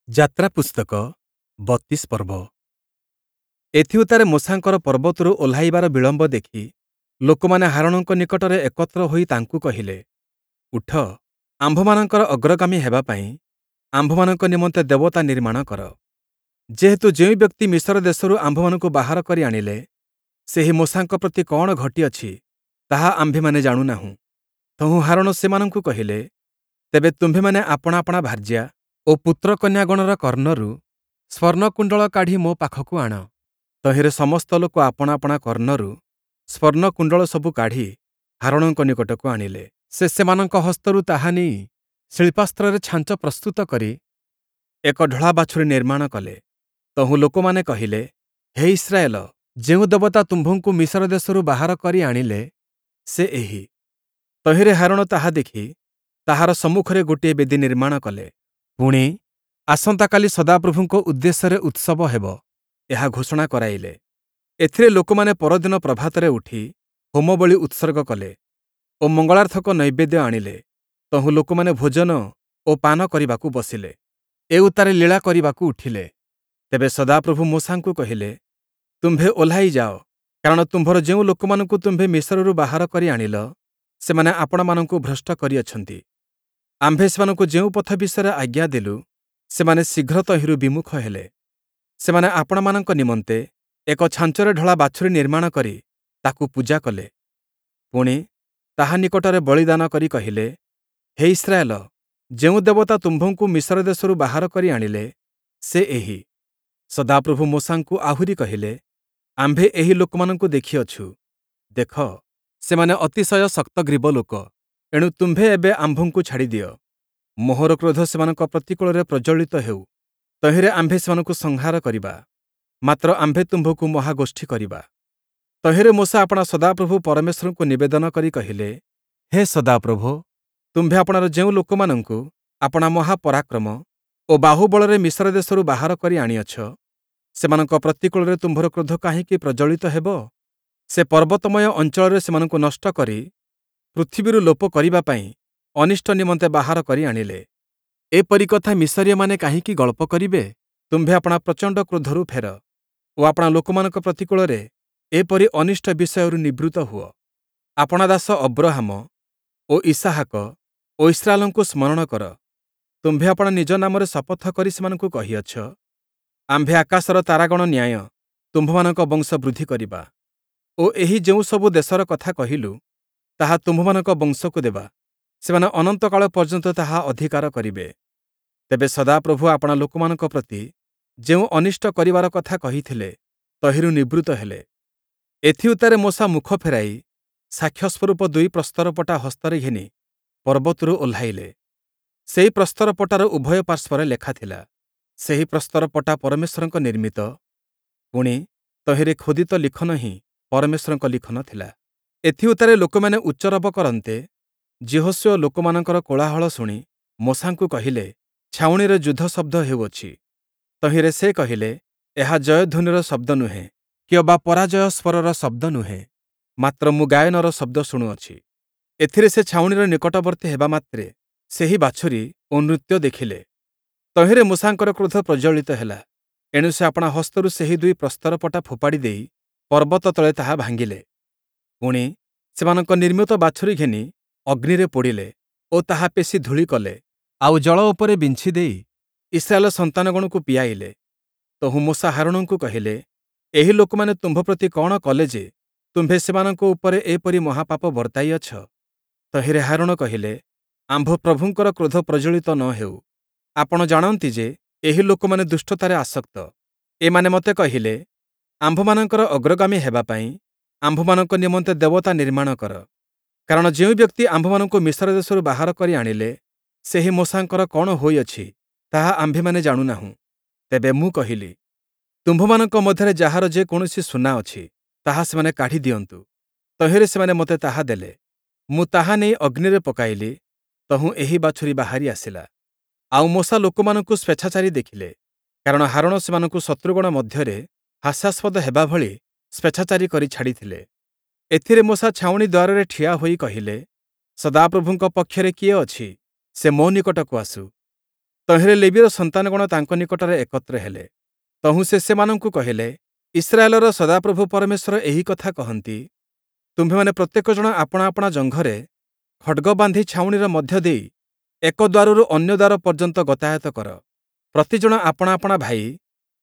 ଯାତ୍ରା ପୁସ୍ତକ 32 ପର୍ବ। ଏଥିଉତ୍ତାରେ ମୋଶାଙ୍କର ପର୍ବତରୁ ଓହ୍ଲାଇବାର ବିଳମ୍ବ ଦେଖି ଲୋକମାନେ ହାରୋଣଙ୍କ ନିକଟରେ ଏକତ୍ର ହୋଇ ତାଙ୍କୁ କହିଲେ, ଉଠ, ଆମ୍ଭମାନଙ୍କର ଅଗ୍ରଗାମୀ ହେବା ପାଇଁ ଆମ୍ଭମାନଙ୍କ ନିମନ୍ତେ ଦେବତା ନିର୍ମାଣ କର। ଯେହେତୁ ଯେଉଁ ବ୍ୟକ୍ତି ମିଶର ଦେଶରୁ ଆମ୍ଭମାନଙ୍କୁ ବାହାର କରି ଆଣିଲେ, ସେହି ମୋଶାଙ୍କ ପ୍ରତି କଅଣ ଘଟିଅଛି, ତାହା ଆମ୍ଭେମାନେ ଜାଣୁନାହୁଁ। ତହୁଁ ହାରୋଣ ସେମାନଙ୍କୁ କହିଲେ, ତେବେ ତୁମ୍ଭେମାନେ ଆପଣା ଆପଣା ଭାର୍ଯ୍ୟା ଓ ପୁତ୍ରକନ୍ୟାଗଣର କର୍ଣ୍ଣରୁ ସ୍ୱର୍ଣ୍ଣକୁଣ୍ଡଳ କାଢ଼ି ମୋ ପାଖକୁ ଆଣ। ତହିଁରେ ସମସ୍ତ ଲୋକ ଆପଣା ଆପଣା କର୍ଣ୍ଣରୁ ସ୍ୱର୍ଣ୍ଣକୁଣ୍ଡଳ ସବୁ କାଢ଼ି ହାରୋଣଙ୍କ ନିକଟକୁ ଆଣିଲେ। ସେ ସେମାନଙ୍କ ହସ୍ତରୁ ତାହା ନେଇ ଶିଳ୍ପାସ୍ତ୍ରରେ ଛାଞ୍ଚ ପ୍ରସ୍ତୁତ କରି ଏକ ଢଳା ବାଛୁରୀ ନିର୍ମାଣ କଲେ। ତହୁଁ ଲୋକମାନେ କହିଲେ, ହେ ଇସ୍ରାଏଲ, ଯେଉଁ ଦେବତା ତୁମ୍ଭଙ୍କୁ ମିଶର ଦେଶରୁ ବାହାର କରି ଆଣିଲେ, ସେ ଏହି। ତହିଁରେ ହାରୋଣ ତାହା ଦେଖି ତାହାର ସମ୍ମୁଖରେ ଗୋଟିଏ ବେଦି ନିର୍ମାଣ କଲେ। ପୁଣି, ଆସନ୍ତାକାଲି ସଦାପ୍ରଭୁଙ୍କ ଉଦ୍ଦେଶ୍ୟରେ ଉତ୍ସବ ହେବ, ଏହା ଘୋଷଣା କରାଇଲେ। ଏଥିରେ ଲୋକମାନେ ପରଦିନ ପ୍ରଭାତରେ ଉଠି ହୋମବଳି ଉତ୍ସର୍ଗ କଲେ ଓ ମଙ୍ଗଳାର୍ଥକ ନୈବେଦ୍ୟ ଆଣିଲେ। ତହୁଁ ଲୋକମାନେ ଭୋଜନ ଓ ପାନ କରିବାକୁ ବସିଲେ, ଏ ଉତ୍ତାରେ ଲୀଳା କରିବାକୁ ଉଠିଲେ। ତେବେ ସଦାପ୍ରଭୁ ମୋଶାଙ୍କୁ କହିଲେ, ତୁମ୍ଭେ ଓହ୍ଲାଇ ଯାଅ, କାରଣ ତୁମ୍ଭର ଯେଉଁ ଲୋକମାନଙ୍କୁ ତୁମ୍ଭେ ମିଶରରୁ ବାହାର କରି ଆଣିଲ, ସେମାନେ ଆପଣାମାନଙ୍କୁ ଭ୍ରଷ୍ଟ କରିଅଛନ୍ତି। ଆମ୍ଭେ ସେମାନଙ୍କୁ ଯେଉଁ ପଥ ବିଷୟରେ ଆଜ୍ଞା ଦେଲୁ, ସେମାନେ ଶୀଘ୍ର ତହିଁରୁ ବିମୁଖ ହେଲେ। ସେମାନେ ଆପଣାମାନଙ୍କ ନିମନ୍ତେ ଏକ ଛାଞ୍ଚରେ ଢଳା ବାଛୁରୀ ନିର୍ମାଣ କରି ତାକୁ ପୂଜା କଲେ। ପୁଣି, ତାହା ନିକଟରେ ବଳିଦାନ କରି କହିଲେ, ହେ ଇସ୍ରାଏଲ, ଯେଉଁ ଦେବତା ତୁମ୍ଭଙ୍କୁ ମିଶର ଦେଶରୁ ବାହାର କରି ଆଣିଲେ, ସେ ଏହି। ସଦାପ୍ରଭୁ ମୋଶାଙ୍କୁ ଆହୁରି କହିଲେ, ଆମ୍ଭେ ଏହି ଲୋକମାନଙ୍କୁ ଦେଖିଅଛୁ, ଦେଖ, ସେମାନେ ଅତିଶୟ ଶକ୍ତଗ୍ରୀବ ଲୋକ। ଏଣୁ ତୁମ୍ଭେ ଏବେ ଆମ୍ଭଙ୍କୁ ଛାଡ଼ିଦିଅ, ମୋହର କ୍ରୋଧ ସେମାନଙ୍କ ପ୍ରତିକୂଳରେ ପ୍ରଜ୍ୱଳିତ ହେଉ, ତହିଁରେ ଆମ୍ଭେ ସେମାନଙ୍କୁ ସଂହାର କରିବା। ମାତ୍ର ଆମ୍ଭେ ତୁମ୍ଭକୁ ମହାଗୋଷ୍ଠୀ କରିବା। ତହିଁରେ ମୋଶା ଆପଣା ସଦାପ୍ରଭୁ ପରମେଶ୍ୱରଙ୍କୁ ନିବେଦନ କରି କହିଲେ, ହେ ସଦାପ୍ରଭୋ, ତୁମ୍ଭେ ଆପଣାର ଯେଉଁ ଲୋକମାନଙ୍କୁ ଆପଣା ମହାପରାକ୍ରମ ଓ ବାହୁବଳରେ ମିଶର ଦେଶରୁ ବାହାର କରି ଆଣିଅଛ, ସେମାନଙ୍କ ପ୍ରତିକୂଳରେ ତୁମ୍ଭର କ୍ରୋଧ କାହିଁକି ପ୍ରଜ୍ୱଳିତ ହେବ? ସେ ପର୍ବତମୟ ଅଞ୍ଚଳରେ ସେମାନଙ୍କୁ ନଷ୍ଟ କରି ପୃଥିବୀରୁ ଲୋପ କରିବା ପାଇଁ ଅନିଷ୍ଟ ନିମନ୍ତେ ବାହାର କରି ଆଣିଲେ। ଏପରି କଥା ମିଶରୀୟମାନେ କାହିଁକି ଗଳ୍ପ କରିବେ? ତୁମ୍ଭେ ଆପଣା ପ୍ରଚଣ୍ଡ କ୍ରୋଧରୁ ଫେର ଓ ଆପଣା ଲୋକମାନଙ୍କ ପ୍ରତିକୂଳରେ ଏପରି ଅନିଷ୍ଟ ବିଷୟରୁ ନିବୃତ୍ତ ହୁଅ। ଆପଣା ଦାସ ଅବ୍ରହାମ ଓ ଇସାହାକ ଓ ଇସ୍ରାଏଲଙ୍କୁ ସ୍ମରଣ କର। ତୁମ୍ଭେ ଆପଣା ନିଜ ନାମରେ ଶପଥ କରି ସେମାନଙ୍କୁ କହିଅଛ, ଆମ୍ଭେ ଆକାଶର ତାରାଗଣ ନ୍ୟାୟ ତୁମ୍ଭମାନଙ୍କ ବଂଶ ବୃଦ୍ଧି କରିବା ଓ ଏହି ଯେଉଁ ସବୁ ଦେଶର କଥା କହିଲୁ, ତାହା ତୁମ୍ଭମାନଙ୍କ ବଂଶକୁ ଦେବା, ସେମାନେ ଅନନ୍ତକାଳ ପର୍ଯ୍ୟନ୍ତ ତାହା ଅଧିକାର କରିବେ। ତେବେ ସଦାପ୍ରଭୁ ଆପଣା ଲୋକମାନଙ୍କ ପ୍ରତି ଯେଉଁ ଅନିଷ୍ଟ କରିବାର କଥା କହିଥିଲେ, ତହିଁରୁ ନିବୃତ୍ତ ହେଲେ। ଏଥିଉତ୍ତାରେ ମୋଶା ମୁଖ ଫେରାଇ ସାକ୍ଷ୍ୟସ୍ୱରୂପ ଦୁଇ ପ୍ରସ୍ତରପଟା ହସ୍ତରେ ଘେନି ପର୍ବତରୁ ଓହ୍ଲାଇଲେ। ସେହି ପ୍ରସ୍ତରପଟାର ଉଭୟ ପାର୍ଶ୍ୱରେ ଲେଖା ଥିଲା। ସେହି ପ୍ରସ୍ତରପଟା ପରମେଶ୍ୱରଙ୍କ ନିର୍ମିତ, ପୁଣି ତହିଁରେ ଖୋଦିତ ଲିଖନ ହିଁ ପରମେଶ୍ୱରଙ୍କ ଲିଖନ ଥିଲା। ଏଥିଉତ୍ତାରେ ଲୋକମାନେ ଉଚ୍ଚରବ କରନ୍ତେ, ଯିହୋଶୂୟ ଲୋକମାନଙ୍କର କୋଳାହଳ ଶୁଣି ମୋଶାଙ୍କୁ କହିଲେ, ଛାଉଣିରେ ଯୁଦ୍ଧ ଶବ୍ଦ ହେଉଅଛି। ତହିଁରେ ସେ କହିଲେ, ଏହା ଜୟଧ୍ୱନିର ଶବ୍ଦ ନୁହେଁ, କିଅବା ପରାଜୟ ସ୍ୱରର ଶବ୍ଦ ନୁହେଁ, ମାତ୍ର ମୁଁ ଗାୟନର ଶବ୍ଦ ଶୁଣୁଅଛି। ଏଥିରେ ସେ ଛାଉଣିର ନିକଟବର୍ତ୍ତୀ ହେବା ମାତ୍ରେ ସେହି ବାଛୁରୀ ଓ ନୃତ୍ୟ ଦେଖିଲେ। ତହିଁରେ ମୋଶାଙ୍କର କ୍ରୋଧ ପ୍ରଜ୍ୱଳିତ ହେଲା। ଏଣୁ ସେ ଆପଣା ହସ୍ତରୁ ସେହି ଦୁଇ ପ୍ରସ୍ତରପଟା ଫୋପାଡ଼ି ଦେଇ ପର୍ବତ ତଳେ ତାହା ଭାଙ୍ଗିଲେ। ପୁଣି, ସେମାନଙ୍କ ନିର୍ମିତ ବାଛୁରୀ ଘେନି ଅଗ୍ନିରେ ପୋଡ଼ିଲେ ଓ ତାହା ପେଶି ଧୂଳି କଲେ, ଆଉ ଜଳ ଉପରେ ବିଞ୍ଛି ଦେଇ ଇସ୍ରାଏଲ ସନ୍ତାନଗଣକୁ ପିଆଇଲେ। ତହୁଁ ମୋଶା ହାରୋଣଙ୍କୁ କହିଲେ, ଏହି ଲୋକମାନେ ତୁମ୍ଭ ପ୍ରତି କଅଣ କଲେ ଯେ ତୁମ୍ଭେ ସେମାନଙ୍କ ଉପରେ ଏପରି ମହାପାପ ବର୍ତ୍ତାଇଅଛ? ତହିଁରେ ହାରୋଣ କହିଲେ, ଆମ୍ଭ ପ୍ରଭୁଙ୍କର କ୍ରୋଧ ପ୍ରଜ୍ୱଳିତ ନ ହେଉ। ଆପଣ ଜାଣନ୍ତି ଯେ ଏହି ଲୋକମାନେ ଦୁଷ୍ଟତାରେ ଆସକ୍ତ। ଏମାନେ ମୋତେ କହିଲେ, ଆମ୍ଭମାନଙ୍କର ଅଗ୍ରଗାମୀ ହେବା ପାଇଁ ଆମ୍ଭମାନଙ୍କ ନିମନ୍ତେ ଦେବତା ନିର୍ମାଣ କର। କାରଣ ଯେଉଁ ବ୍ୟକ୍ତି ଆମ୍ଭମାନଙ୍କୁ ମିଶର ଦେଶରୁ ବାହାର କରି ଆଣିଲେ, ସେହି ମୋଶାଙ୍କର କଅଣ ହୋଇଅଛି, ତାହା ଆମ୍ଭେମାନେ ଜାଣୁନାହୁଁ। ତେବେ ମୁଁ କହିଲି, ତୁମ୍ଭମାନଙ୍କ ମଧ୍ୟରେ ଯାହାର ଯେ କୌଣସି ସୁନା ଅଛି, ତାହା ସେମାନେ କାଢ଼ି ଦିଅନ୍ତୁ। ତହିଁରେ ସେମାନେ ମୋତେ ତାହା ଦେଲେ। ମୁଁ ତାହା ନେଇ ଅଗ୍ନିରେ ପକାଇଲି, ତହୁଁ ଏହି ବାଛୁରୀ ବାହାରି ଆସିଲା। ଆଉ ମୋଶା ଲୋକମାନଙ୍କୁ ସ୍ୱେଚ୍ଛାଚାରୀ ଦେଖିଲେ, କାରଣ ହାରୋଣ ସେମାନଙ୍କୁ ଶତ୍ରୁଗଣ ମଧ୍ୟରେ ହାସ୍ୟାସ୍ପଦ ହେବା ଭଳି ସ୍ୱେଚ୍ଛାଚାରୀ କରି ଛାଡ଼ିଥିଲେ। ଏଥିରେ ମୋଶା ଛାଉଣି ଦ୍ୱାରରେ ଠିଆ ହୋଇ କହିଲେ, ସଦାପ୍ରଭୁଙ୍କ ପକ୍ଷରେ କିଏ ଅଛି? ସେ ମୋ ନିକଟକୁ ଆସୁ। ତହିଁରେ ଲେବୀର ସନ୍ତାନଗଣ ତାଙ୍କ ନିକଟରେ ଏକତ୍ର ହେଲେ। ତହୁଁ ସେ ସେମାନଙ୍କୁ କହିଲେ, ଇସ୍ରାଏଲର ସଦାପ୍ରଭୁ ପରମେଶ୍ୱର ଏହି କଥା କହନ୍ତି, ତୁମ୍ଭେମାନେ ପ୍ରତ୍ୟେକ ଜଣ ଆପଣା ଆପଣା ଜଙ୍ଘରେ ଖଡ଼୍ଗ ବାନ୍ଧି ଛାଉଣିର ମଧ୍ୟ ଦେଇ ଏକ ଦ୍ୱାରରୁ ଅନ୍ୟ ଦ୍ୱାର ପର୍ଯ୍ୟନ୍ତ ଗତାୟତ କର। ପ୍ରତିଜଣ ଆପଣା ଆପଣା ଭାଇ,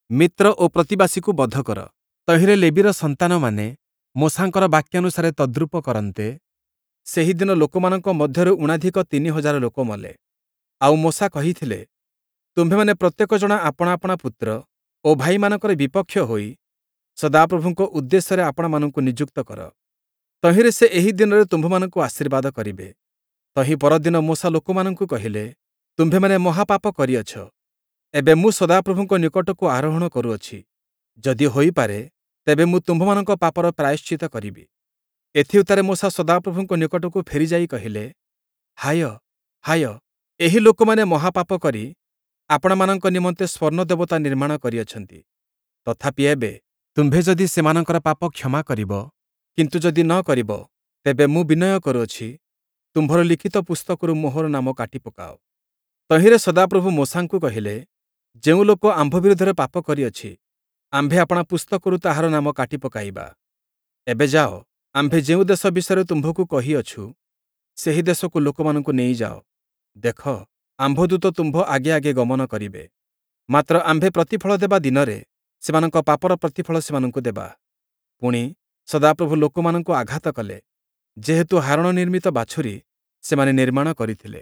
ମିତ୍ର ଓ ପ୍ରତିବାସୀକୁ ବଧ କର। ତହିଁରେ ଲେବୀର ସନ୍ତାନମାନେ ମୋଶାଙ୍କର ବାକ୍ୟାନୁସାରେ ତଦ୍ରୂପ କରନ୍ତେ, ସେହି ଦିନ ଲୋକମାନଙ୍କ ମଧ୍ୟରୁ ଊଣାଧିକ 3000 ଲୋକ ମଲେ। ଆଉ ମୋଶା କହିଥିଲେ, ତୁମ୍ଭେମାନେ ପ୍ରତ୍ୟେକ ଜଣ ଆପଣା ଆପଣା ପୁତ୍ର ଓ ଭାଇମାନଙ୍କର ବିପକ୍ଷ ହୋଇ ସଦାପ୍ରଭୁଙ୍କ ଉଦ୍ଦେଶ୍ୟରେ ଆପଣାମାନଙ୍କୁ ନିଯୁକ୍ତ କର। ତହିଁରେ ସେ ଏହି ଦିନରେ ତୁମ୍ଭମାନଙ୍କୁ ଆଶୀର୍ବାଦ କରିବେ। ତହିଁ ପରଦିନ ମୋଶା ଲୋକମାନଙ୍କୁ କହିଲେ, ତୁମ୍ଭେମାନେ ମହାପାପ କରିଅଛ। ଏବେ ମୁଁ ସଦାପ୍ରଭୁଙ୍କ ନିକଟକୁ ଆରୋହଣ କରୁଅଛି। ଯଦି ହୋଇପାରେ, ତେବେ ମୁଁ ତୁମ୍ଭମାନଙ୍କ ପାପର ପ୍ରାୟଶ୍ଚିତ୍ତ କରିବି। ଏଥିଉତ୍ତାରେ ମୋଶା ସଦାପ୍ରଭୁଙ୍କ ନିକଟକୁ ଫେରିଯାଇ କହିଲେ, ହାୟ, ହାୟ, ଏହି ଲୋକମାନେ ମହାପାପ କରି ଆପଣାମାନଙ୍କ ନିମନ୍ତେ ସ୍ୱର୍ଣ୍ଣ ଦେବତା ନିର୍ମାଣ କରିଅଛନ୍ତି। ତଥାପି ଏବେ ତୁମ୍ଭେ ଯଦି ସେମାନଙ୍କର ପାପ କ୍ଷମା କରିବ, କିନ୍ତୁ ଯଦି ନ କରିବ, ତେବେ ମୁଁ ବିନୟ କରୁଅଛି, ତୁମ୍ଭର ଲିଖିତ ପୁସ୍ତକରୁ ମୋହର ନାମ କାଟି ପକାଅ। ତହିଁରେ ସଦାପ୍ରଭୁ ମୋଶାଙ୍କୁ କହିଲେ, ଯେଉଁ ଲୋକ ଆମ୍ଭ ବିରୁଦ୍ଧରେ ପାପ କରିଅଛି, ଆମ୍ଭେ ଆପଣା ପୁସ୍ତକରୁ ତାହାର ନାମ କାଟି ପକାଇବା। ଏବେ ଯାଅ, ଆମ୍ଭେ ଯେଉଁ ଦେଶ ବିଷୟରେ ତୁମ୍ଭକୁ କହିଅଛୁ, ସେହି ଦେଶକୁ ଲୋକମାନଙ୍କୁ ନେଇଯାଅ। ଦେଖ, ଆମ୍ଭ ଦୂତ ତୁମ୍ଭ ଆଗେ ଆଗେ ଗମନ କରିବେ। ମାତ୍ର ଆମ୍ଭେ ପ୍ରତିଫଳ ଦେବା ଦିନରେ ସେମାନଙ୍କ ପାପର ପ୍ରତିଫଳ ସେମାନଙ୍କୁ ଦେବା। ପୁଣି, ସଦାପ୍ରଭୁ ଲୋକମାନଙ୍କୁ ଆଘାତ କଲେ, ଯେହେତୁ ହାରୋଣ ନିର୍ମିତ ବାଛୁରୀ ସେମାନେ ନିର୍ମାଣ କରିଥିଲେ।